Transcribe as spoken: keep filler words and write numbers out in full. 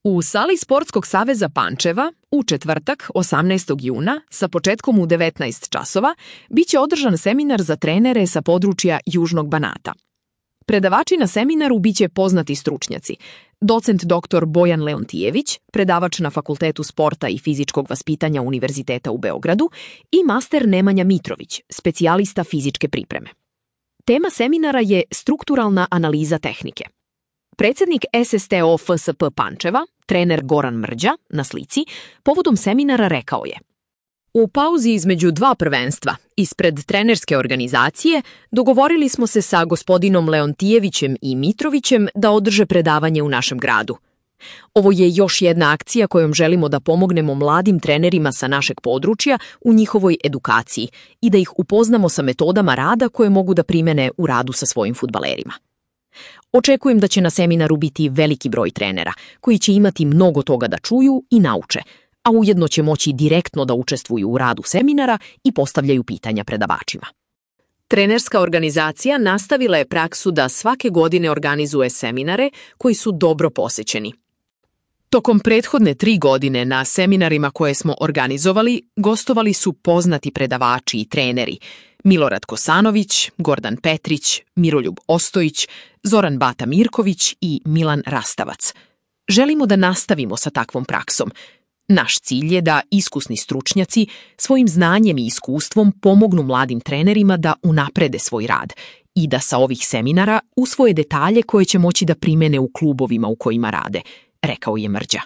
U sali Sportskog saveza Pančeva u četvrtak, osamnaestog juna, sa početkom u devetnaest časova, biće održan seminar za trenere sa područja Južnog Banata. Predavači na seminaru biće poznati stručnjaci: docent doktor Bojan Leontijević, predavač na Fakultetu sporta i fizičkog vaspitanja Univerziteta u Beogradu, i master Nemanja Mitrović, specijalista fizičke pripreme. Tema seminara je strukturalna analiza tehnike. Predsjednik S S T O F S P Pančeva, trener Goran Mrđa, na slici, povodom seminara rekao je: U pauzi između dva prvenstva, ispred trenerske organizacije, dogovorili smo se sa gospodinom Leontijevićem i Mitrovićem da održe predavanje u našem gradu. Ovo je još jedna akcija kojom želimo da pomognemo mladim trenerima sa našeg područja u njihovoj edukaciji i da ih upoznamo sa metodama rada koje mogu da primene u radu sa svojim fudbalerima. Očekujem da će na seminaru biti veliki broj trenera, koji će imati mnogo toga da čuju i nauče, a ujedno će moći direktno da učestvuju u radu seminara i postavljaju pitanja predavačima. Trenerska organizacija nastavila je praksu da svake godine organizuje seminare koji su dobro posećeni. Tokom prethodne tri godine na seminarima koje smo organizovali, gostovali su poznati predavači i treneri: Milorad Kosanović, Gordan Petrić, Miroljub Ostojić, Zoran Bata Mirković i Milan Rastavac. Želimo da nastavimo sa takvom praksom. Naš cilj je da iskusni stručnjaci svojim znanjem i iskustvom pomognu mladim trenerima da unaprede svoj rad i da sa ovih seminara usvoje detalje koje će moći da primene u klubovima u kojima rade, rekao je Mrđa.